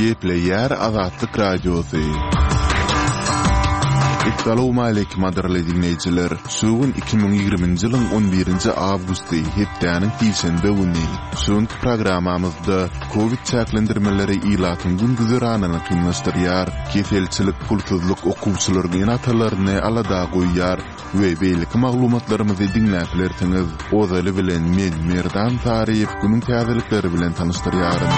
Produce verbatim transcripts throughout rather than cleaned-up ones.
Gepleýär Azatlyk Radiosy. Essalawmaleýkim gadyrly diňleýjiler. Şu gün iki müň ýigriminji ýylyň on birinji awgusty, hepdäniň sişenbe güni. Şu günki programmamyzda Covid çäklendirmeleri ilatyň gün-güzeranyny kynlaşdyrýar. Keselçilik, pulsuzlyk okuwçylaryň ene-atalaryny alada goýýar we beýleki maglumatlarymyzy diňläp bilersiňiz. Ozaly bilen men Merdan Saryýew günüň täzelikleri bilen tanyşdyrýaryn.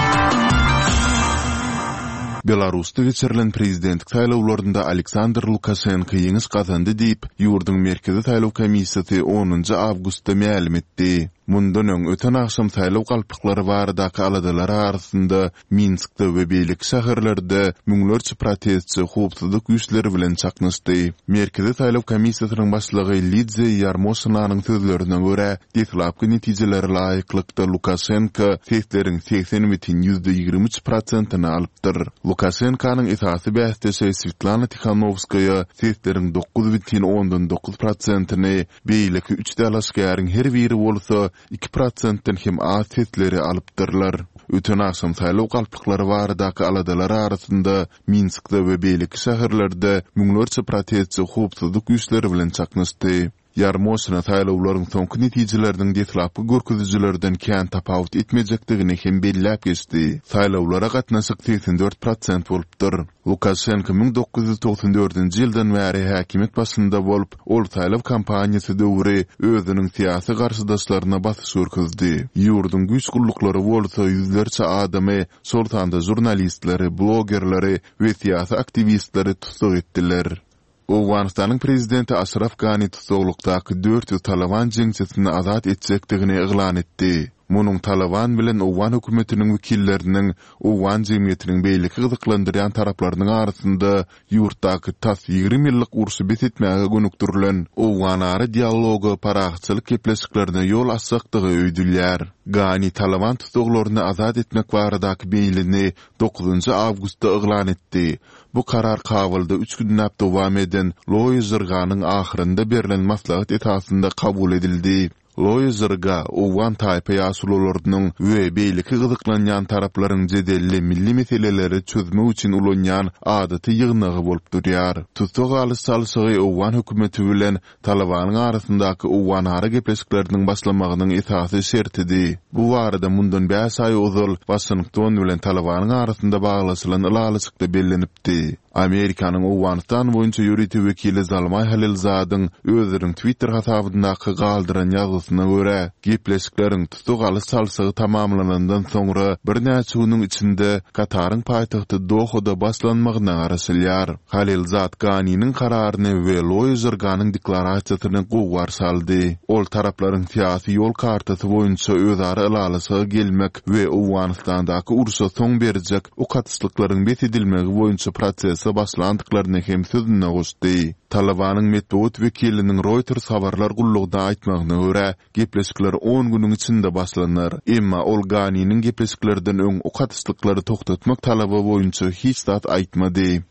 Belarusda geçirilen prezidentlik saýlawlarynda Aleksandr Lukaşenko ýeňiş gazandy diýip, ýurduň Merkezi saýlaw komissiýasy onunjy awgustda mälim etdi. Mundan öň, öten agşam saýlaw galplyklary baradaky aladalar arasynda Minskde we beýleki şäherlerde müňlerçe protestçi howpsuzlyk güýçleri bilen çaknyşdy. Merkezi saýlaw komissiýasynyň başlygy Lidiýa Ýarmoşinanyň sözlerine görä, deslapky netijelere laýyklykda Lukaşenko sesleriň segsen bütin ýüzde ýigrimi üç prosentini alypdyr. Lukaşenkonyň esasy bäsdeşi Swetlana Tihanowskaýa sesleriň dokuz bütin ondan dokuz prosentini, beýleki üç dalaşgäriň her biri bolsa iki prosentden hem az sesleri alypdyrlar. Öten agşam saýlaw galplyklary baradaky aladalar arasynda Minskde we beýleki şäherlerde müňlerçe protestçi howpsuzlyk güýçleri bilen çaknyşdy. Ýarmoşina saýlawlaryň soňky netijeleriniň deslapky görkezijilerden kän tapawut etmejekdigini hem belläp geçdi. Saýlawlara gatnaşyk segsen dört prosent bolupdyr. Lukaşenko müň dokuz ýüz togsan dördünji ýyldan bäri häkimiýet başynda bolup, ol saýlaw kampaniýasy döwri özüniň syýasy garşydaşlaryna basyş görkezdi. Ýurduň güýç gulluklary bolsa ýüzlerçe adamy, şol sanda žurnalistleri, blogerleri we syýasy aktiwistleri tussag etdiler. Owganystanyň prezidenti Aşraf Gani tussaglykdaky dört ýüz Taliban jeňçisini azat etjekdigini yglan etdi. Munuň Taliban bilen owgan hökümetiniň wekilleriniň, owgan jemgyýetiniň beýleki gyzyklandyrýan taraplarynyň arasynda ýurtdaky tas ýigrimi ýyllyk urşy bes etmäge gönükdirilen owganara dialoga parahatçylyk gepleşiklerine ýol açjakdygy öýdülýär. Gani Taliban tussaglaryny azat etmek baradaky meýlini dokuzynjy awgustda yglan etdi. Bu karar Kabulda üç günläp dowam eden Loýa Jirganyň ahyrynda berlen maslahat esasynda kabul edildi. Loýa Jirga owgan taýpa ýaşulularynyň we beýleki gyzyklanýan taraplaryň jedelli milli meseleleri çözmek üçin ulanýan adaty ýygnagy bolup durýar. Tussag alyş çalşygy owgan hökümeti bilen Talibanyň arasyndaky owganara gepleşikleriniň başlamagynyň esasy şertidi. Bu barada mundan bäş aý ozal Waşington bilen Talibanyň arasynda baglaşylan ylalaşykda bellenipdi. Amerikanyň Owganystan boýunça ýörite wekili Zalmaý Halilzadyň özüniň Twitter hasabyndaky galdyran ýazgysyna görä, gepleşikleriň tussag alyş çalşygy tamamlanandan soňra birnäçe günüň içinde Kataryň paýtagty Dohada başlanmagyna garaşylýar. Halilzad Ganiniň kararyny we Loýa Jirganyň deklarasiýasyny gowy garşy aldy. Ol taraplaryň syýasy ýol kartasy boýunça özara ylalaşyga gelmek we Owganystandaky urşa soň berjek ok atyşlyklaryň bes edilmegi boýunça prosese başlandyklaryny hem sözüne goşdy. Talibanyň metbugat wekiliniň Reuters habarlar gullugyna aýtmagyna görä, gepleşikler on günüň içinde başlanar. Emma ol Ganiniň gepleşiklerden öň ok atyşlyklary togtatmak talaby boýunça hiç zat aýtmady.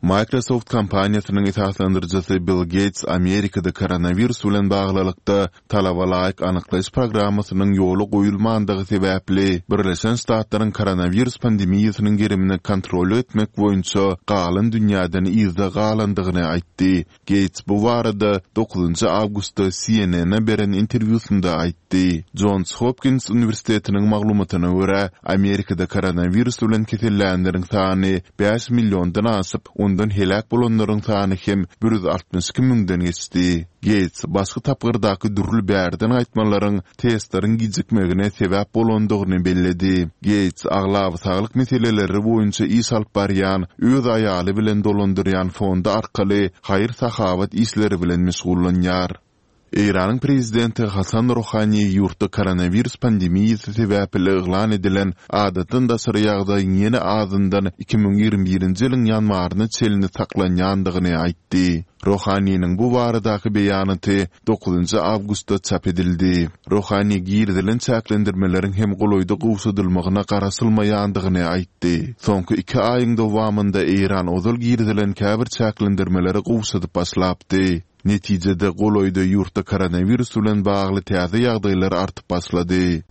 Microsoft kompaniýasynyň esaslandyryjysy Bill Gates Amerikada koronawirus bilen baglylykda talaba laýyk anyklaýyş programmasynyň ýola goýulmandygy sebäpli Birleşen Ştatlaryň koronawirus pandemiýasynyň gerimini kontrol etmek boýunça galan dünýäden yzda galandygyny aýtdy. Gates bu barada dokuzynjy awgustda C N N-e beren interwýusynda aýtdy. Johns Hopkins uniwersitetiniň maglumatyna görä, Amerikada koronawirus bilen kesellänleriň sany bäş milliondan aşyp, ondan heläk bolanlaryň sany hem bir ýüz altmyş iki müňden geçdi. Gates başga tapgyrdaky dürli bärden gaýtmalaryň testleriň gijikmegine sebäp bolandygyny belledi. Gates aglaba saglyk meseleleri boýunça iş alyp barýan, öz aýaly bilen dolandyrýan fondy arkaly haýyr-sahawat işleri bilen meşgullanýar. Eýranyň prezidenti Hasan Rohani ýurtda koronawirus pandemiýasy sebäpli yglan edilen adatdan daşary ýagdaýyň ýene azyndan iki müň ýigrimi birinji ýylyň ýanwaryna çenli saklanýandygyny aýtdy. Rohaniniň bu baradaky beýanaty dokuzynjy awgustda çap edildi. Rohani girizilen çäklendirmeleriň hem golaýda gowşadylmagyna garaşylmaýandygyny aýtdy. Soňky iki aýyň dowamynda Eýran ozal girizilen käbir çäklendirmeleri gowşadyp başlapdy. Netijede golaýda ýurtda koronawirus bilen bagly täze ýagdaýlar artyp başlady.